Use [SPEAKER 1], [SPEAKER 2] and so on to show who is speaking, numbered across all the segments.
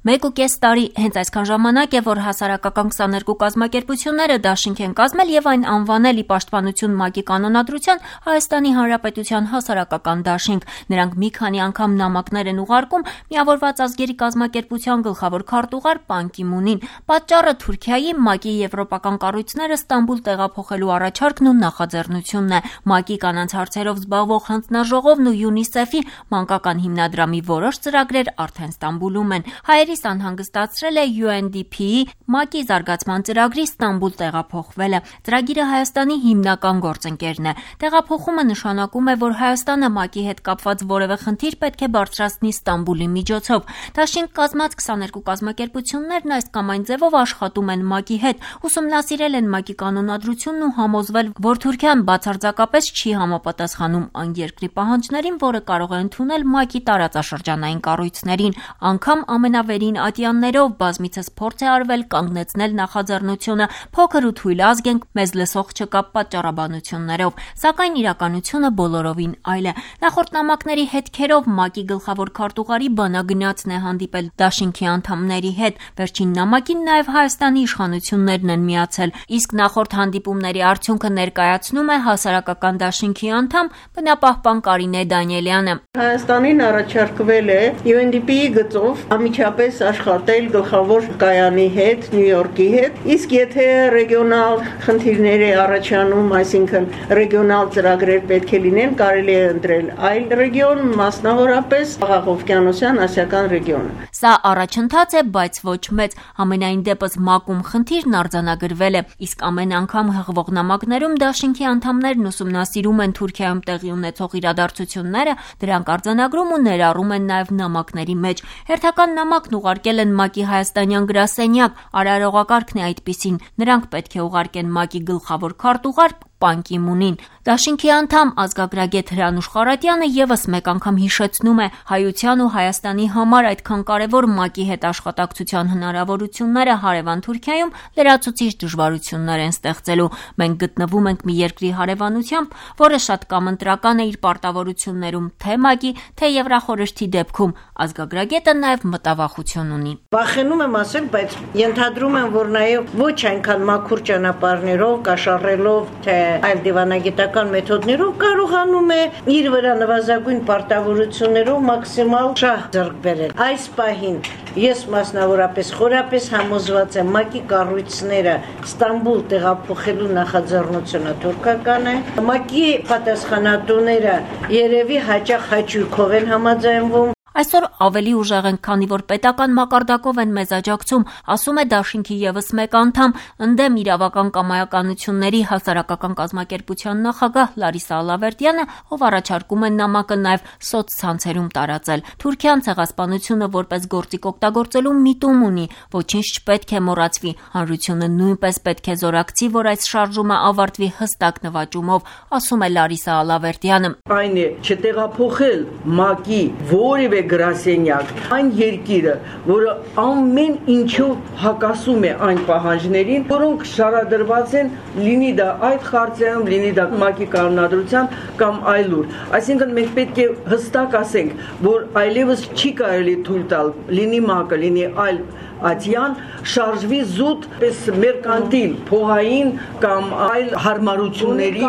[SPEAKER 1] 1.5 տարի հենց այսքան ժամանակ է, որ հասարակական 22 կազմակերպությունները դաշինք են կազմել եւ այն անվանել ի պաշտպանություն ՄԱԿ-ի կանոնադրության Հայաստանի Հանրապետության հասարակական դաշինք։ Նրանք մի քանի անգամ նամակներ են ուղարկում Միավորված ազգերի կազմակերպության գլխավոր քարտուղար Պան Կի Մունին։ Պատճառը Թուրքիայի ՄԱԿ-ի եվրոպական կառույցները Ստամբուլ տեղափոխելու առաջարկն ու նախաձեռնությունն է։ ՄԱԿ-ի կանանց հարցերով զբաղվող հանձնաժողովն ու ՅՈՒՆԻՍԵՖ-ի մանկական հիմնադրամի որոշ ծրագրեր արդեն Ստամբուլում են։ Հայերիս անհանգստացրել է UNDP-ի ՄԱԿ-ի զարգացման ծրագրի Ստամբուլ տեղափոխվելը։ Ծրագիրը Հայաստանի հիմնական գործընկերն է։ Տեղափոխումը նշանակում է, որ Հայաստանը ՄԱԿ-ի հետ կապված որևէ խնդիր պետք է բարձրացնի Ստամբուլի միջոցով։ Դաշինք կազմած 22 կազմակերպություններն այս կամ այն ձևով աշխատում են ՄԱԿ-ի հետ, ուսումնասիրել են ՄԱԿ-ի կանոնադրությունն ու համոզվել, որ Թուրքիան բացարձակապես չի համապատասխանում այն երկրի պահանջներին, որը կարող է ընդունել ՄԱԿ-ի տարածաշրջանային կառույցներին։ Անգամ ամենավերին ատյաններով բազմիցս փորձ է արվել կանգնեցնել նախաձեռնությունը, փոքր ու թույլ ազգ ենք, մեզ լսող չկա պատճառաբանություններով, սակայն իրականությունը բոլորովին այլ է։ Նախորդ նամակների հետքերով ՄԱԿ-ի գլխավոր քարտուղարի բանագնացն է հանդիպել դաշինքի անդամների հետ։ Վերջին նամակին նաև Հայաստանի իշխանություններն են միացել, իսկ նախորդ հանդիպումների արդյունքը ներկայացնում է հասարակական դաշինքի անդամ բնապահպան Կարինե Դանիելյանը։
[SPEAKER 2] Հայաստանին առաջարկվել է UNDP-ի գծով ամիջապես աշխատել գլխավոր կայանի հետ, Նյու Յորքի հետ, իսկ եթե ռեգիոնալ խնդիրներ է առաջանում, այսինքն ռեգիոնալ ծրագրեր պետք է լինեն, կարելի է ընտրել այլ ռեգիոն, մասնավորապես Աղաղովկյանոսյան ասիական ռեգիոնը։
[SPEAKER 1] Սա առաջընթաց է, բայց ոչ մեծ։ Ամենայն դեպս ՄԱԿ-ում խնդիրն արձանագրվել է, իսկ ամեն անգամ հղվող նամակներում դաշինքի անդամներն ուսումնասիրում են Թուրքիայում տեղի ունեցող իրադարձությունները, դրանք արձանագրում ու ներառում են նաև նամակների մեջ։ Հերթական նամակն ուղարկել են ՄԱԿ-ի հայաստանյան գրասենյակ, արարողակարգն է այդպիսին։ Նրանք պետք է ուղարկեն ՄԱԿ-ի գլխավոր քարտուղար Պան Կի Մունին։ Դաշինքի անդամ ազգագրագետ Հրանուշ Խարատյանը եւս մեկ անգամ հիշեցնում է հայության ու Հայաստանի համար այդքան կարևոր ՄԱԿ-ի հետ աշխատակցության հնարավորությունները հարևան Թուրքիայում լրացուցիչ դժվարություններ են ստեղծելու։ Մենք գտնվում ենք մի երկրի հարևանությամբ, որը շատ կամ ընտրական է իր պարտավորություններում թե ՄԱԿ-ի, թե Եվրախորհրդի դեպքում։ Ազգագրագետը նաև մտավախություն ունի։
[SPEAKER 2] Վախենում եմ ասել, բայց ենթադրում եմ, որ նաև ոչ այնքան մաքուր ճանապարհներով, կաշառելով, թե այլ դիվանագիտական մեթոդներով կարողանում է իր վրա նվազագույն պարտավորություններով մաքսիմալ շահ ձեռք բերել։ Այս պահին ես մասնավորապես խորապես համոզված եմ, ՄԱԿ-ի կառույցները Ստամբուլ տեղափոխելու նախաձեռնությունը թուրքական է։ ՄԱԿ-ի պատասխանատուները երևի հաճախ հաճույքով են համաձայնվում։
[SPEAKER 1] Այսօր ավելի ուժեղ են, քանի որ պետական մակարդակով են մեզ աջակցում, ասում է դաշինքի եւս մեկ անդամ, ընդդեմ իրավական կամայականությունների հասարակական կազմակերպության նախագահ Լարիսա Ալավերդյանը, ով առաջարկում է նամակը նաև սոցցանցերում տարածել։ Թուրքիան ցեղասպանությունը որպես գործիք օգտագործելու միտում ունի, ոչինչ չպետք է մոռացվի։ Հանրությունը նույնպես պետք է զորակցի, որ այս շարժումը ավարտվի հստակ նվաճումով, ասում է Լարիսա Ալավերդյանը։
[SPEAKER 3] Այն է չտեղափոխել ՄԱԿ-ի որևէ գրասենյակ, այն երկիրը, որը ամեն ինչով հակասում է այն պահանջներին, որոնք շարադրված են, լինի դա այդ խարտիայում, լինի դա ՄԱԿ-ի կանոնադրությամբ կամ այլուր։ Այսինքն մենք պետք է հստակ ասենք, որ այլևս չի կարելի թույլ տալ, լինի ՄԱԿ-ը, լինի այլ ատյան, շարժվի զուտ պես մերկանտիլ, փողային կամ այլ հարմարությունների,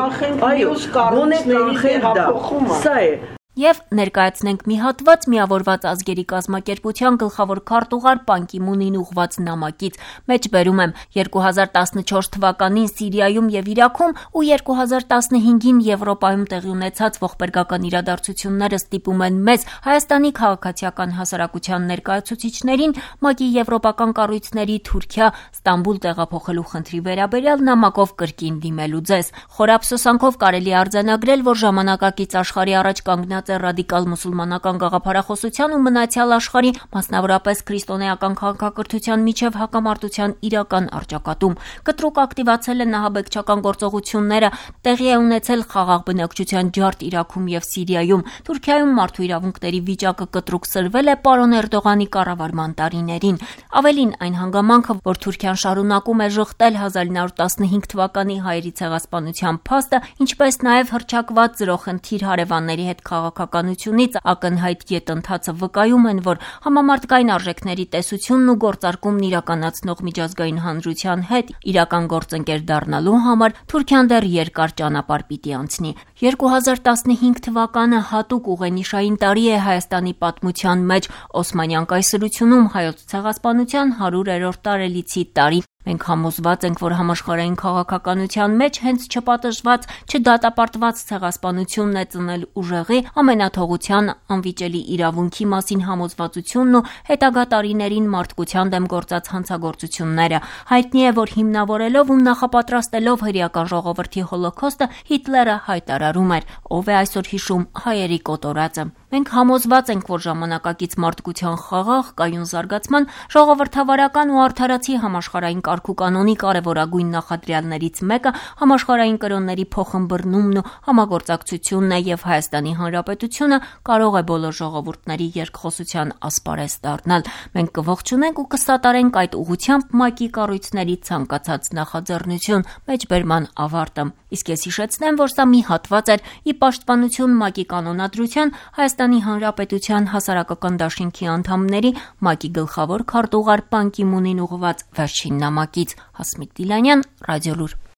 [SPEAKER 3] այո, գոնե կանխենք դա, սա է։
[SPEAKER 1] Եվ ներկայացնենք մի հատված Միավորված ազգերի կազմակերպության գլխավոր քարտուղար Պան Կի Մունին ուղղված նամակից։ Մեջբերում եմ 2014 թվականին Սիրիայում եւ Իրաքում ու 2015-ին Եվրոպայում տեղի ունեցած ողբերգական իրադարձությունները ստիպում են մեզ Հայաստանի քաղաքացիական հասարակության ներկայացուցիչներին ՄԱԿ-ի եվրոպական կառույցների Թուրքիա Ստամբուլ տեղափոխելու խնդրի վերաբերյալ նամակով կրկին դիմելու ձեզ։ Խորափսոսանքով կարելի արձանագրել, որ ժամանակակից աշխարհի առաջ կանգնած ռադիկալ մուսուլմանական գաղափարախոսության ու մնացյալ աշխարհի, մասնավորապես քրիստոնեական քաղաքակրթության միջև հակամարտության իրական առճակատում։ Կտրուկ ակտիվացել են նահաբեկչական գործողությունները, տեղի է ունեցել խաղաղ բնակչության ջարդ Իրաքում եւ Սիրիայում։ Թուրքիայում մարդու իրավունքների վիճակը կտրուկ սրվել է պարոն Էրդողանի կառավարման տարիներին։ Ավելին, այն հանգամանքը, որ Թուրքիան շարունակում է ժխտել 1915 թվականի հայերի ցեղասպանության փաստը, ինչպես նաեւ հռչակված զրոխնդիր հարևանների հետ քաղաքականությունից ակնհայտ գետնթացը վկայում են, որ համամարտկային արժեքների տեսությունն ու գործարկումն իրականացնող միջազգային հանրության հետ իրական գործընկեր դառնալու համար Թուրքիան դեռ երկար ճանապարհ պիտի անցնի։ 2015 թվականը հատուկ ուղենիշային տարի է Հայաստանի պատմության մեջ, Օսմանյան կայսրությունում հայոց ցեղասպանության 100-րդ տարելիցի տարի։ Մենք համոզված ենք, որ համաշխարհային քաղաքականության մեջ հենց չպատժված, չդատապարտված ցեղասպանությունն է ծնել ուժեղի, ամենաթողության, անվիճելի իրավունքի մասին համոզվածությունն ու հետագա տարիներին մարդկության դեմ գործած հանցագործությունները։ Հայտնի է, որ հիմնավորելով ու նախապատրաստելով հրեական ժողովրդի հոլոքոստը Հիտլերը հայտարարում էր. «Ով է այսօր հիշում հայերի կոտորածը»։ Մենք համոզված ենք, որ ժամանակակից մարդկության խաղաղ, կայուն զարգացման, ժողովրդավարական ու արդարացի համաշխարհային կարգուկանոնի կարևորագույն նախադրյալներից մեկը համաշխարհային կրոնների փոխըմբռնումն ու համագործակցությունն է, եւ Հայաստանի Հանրապետությունը կարող է բոլոր ժողովուրդների երկխոսության ասպարեզ դառնալ։ Մենք կողջունենք ու կսատարենք այդ ուղղությամբ ՄԱԿ-ի կառույցների ցանկացած նախաձեռնություն։ Մեջբերման ավարտը։ Իսկ ես հիշեցնեմ, որ սա մի հատված էր ի պաշտպանություն ՄԱԿ-ի կանոնադրության Հայաստանի Հանրապետության հասարակական դաշինքի անդամների ՄԱԿ-ի գլխավոր քարտուղար Պան Կի Մունին ուղղված վերջին նամակից։ Հասմիկ Դիլանյան, Ռադիոլուր։